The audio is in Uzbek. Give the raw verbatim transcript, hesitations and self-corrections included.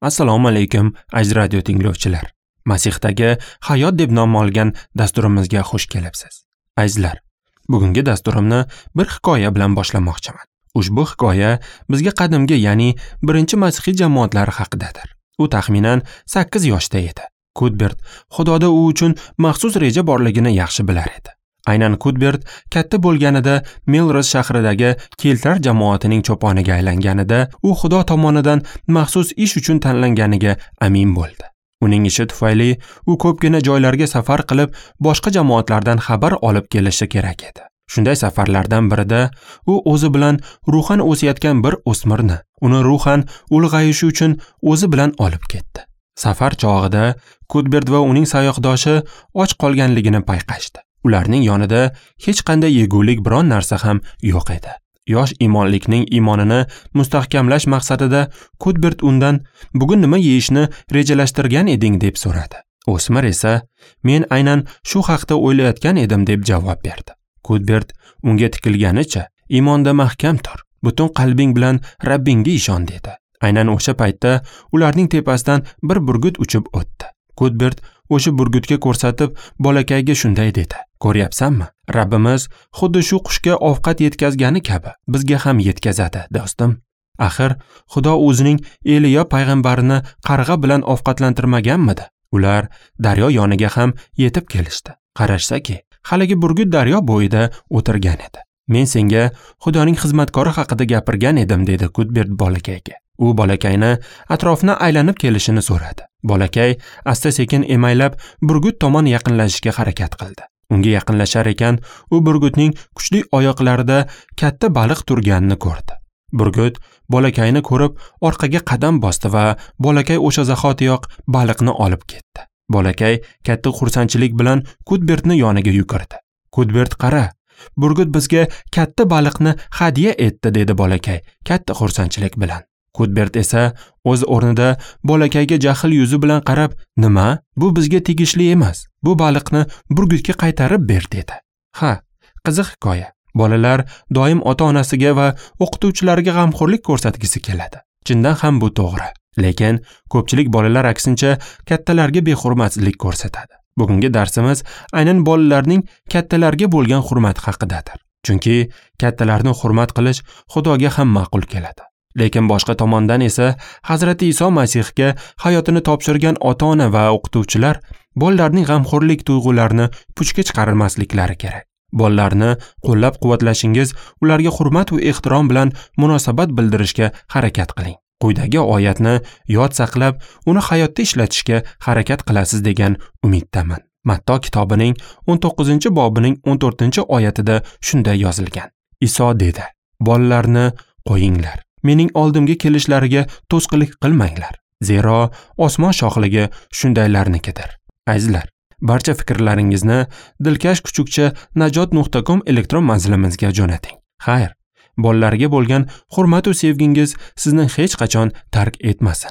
Assalomu alaykum, aziz radio tinglovchilar. Masihdagi hayot deb nom olgan dasturimizga xush kelibsiz. Azizlar, bugungi dasturimni bir hikoya bilan boshlamoqchiman. Ushbu hikoya bizga qadimgi, ya'ni birinchi masihiy jamoatlari haqidadir. U taxminan sakkiz yoshda edi. Kudbert Xudoda u uchun maxsus reja borligini yaxshi bilar edi. Aynan Kudbert katta bo'lganida Melrose shahridagi keltlar jamoatining cho'poniga aylanganida u Xudo tomonidan maxsus ish uchun tanlanganiga amin bo'ldi. Uning ishi tufayli u ko'pgina joylarga safar qilib, boshqa jamoatlardan xabar olib kelishi kerak edi. Shunday safarlardan birida u o'zi bilan ruhan o'sayotgan bir o'smirni, uni ruhan ulg'ayishi uchun o'zi bilan olib ketdi. Safar chog'ida Kudbert va uning sayoqdoshi och qolganligini payqashdi. Ularning yonida hech qanday yegulik biron narsa ham yo'q edi. Yosh imonlikning iymonini mustahkamlash maqsadida Kudbert undan bugun nima yeyishni rejalashtirgan eding deb so'radi. O'smir esa men aynan shu haqda o'ylayotgan edim deb javob berdi. Kudbert unga tikilganicha iymonda mahkam tur, butun qalbing bilan Rabbingga ishon dedi. Aynan o'sha paytda ularning tepasidan bir burgut uchib o'tdi. Kudbert o'sha burgutga ko'rsatib bolakayga shunday dedi: "Ko'ryapsanmi? Rabbimiz xuddi shu qushga ovqat yetkazgani kabi bizga ham yetkazadi, do'stim. Axir Xudo o'zining Eliya payg'ambarini qarg'a bilan ovqatlantirmaganmidi?" Ular daryo yoniga ham yetib kelishdi. Qarashsaki, haligi burgut daryo bo'yida o'tirgan edi. "Men senga Xudoning xizmatkori haqida gapirgan edim" dedi Kudbert bolakayga. U bolakayni atrofni aylanib kelishini so'radi. Bolakay asta-sekin emaylab burgut tomon yaqinlashishga harakat qildi. Unga yaqinlashar ekan, u burgutning kuchli oyoqlarida katta baliq turganini ko'rdi. Burgut bolakayni ko'rib orqaga qadam bosdi va bolakay o'sha zahotiyoq baliqni olib ketdi. Bolakay katta xursandchilik bilan Kudbertni yoniga yugurdi. "Kudbert, qara, burgut bizga katta baliqni hadya etdi" dedi bolakay katta xursandchilik bilan. Kudbert esa o'z o'rnida bolakayga jahl yuzi bilan qarab, "Nima? Bu bizga tegishli emas. Bu baliqni burgutga qaytarib ber" dedi. Ha, qiziq hikoya. Bolalar doim ota-onasiga va o'qituvchilariga g'amxo'rlik ko'rsatgisi keladi. Chindan ham bu to'g'ri. Lekin ko'pchilik bolalar aksincha kattalarga behurmatlik ko'rsatadi. Bugungi darsimiz aynan bolalarning kattalarga bo'lgan hurmati haqidadir. Chunki kattalarni hurmat qilish Xudoga ham ma'qul keladi. Lekin boshqa tomondan esa Hazrati Iso Masihga hayotini topshirgan ota-ona va o'qituvchilar bolalarning g'amxo'rlik tuyg'ularini puchga chiqarmasliklari kerak. Bolalarni qo'llab-quvvatlashingiz, ularga hurmat va ehtirom bilan munosabat bildirishga harakat qiling. Quyidagi oyatni yod saqlab, uni hayotda ishlatishga harakat qilasiz degan umiddaman. Matto kitobining o'n to'qqizinchi bobining o'n to'rtinchi oyatida shunday yozilgan. Iso dedi: "Bolalarni qo'yinglar. Mening oldimga kelishlariga to'sqinlik qilmanglar, zero osmon shohligi shundaylarnikidir." Azizlar, barcha fikrlaringizni dilkash kuchukcha najot nuqta com elektron manzilimizga jo'nating. Xayr, bolalarga bo'lgan hurmat va sevgingiz sizni hech qachon tark etmasin.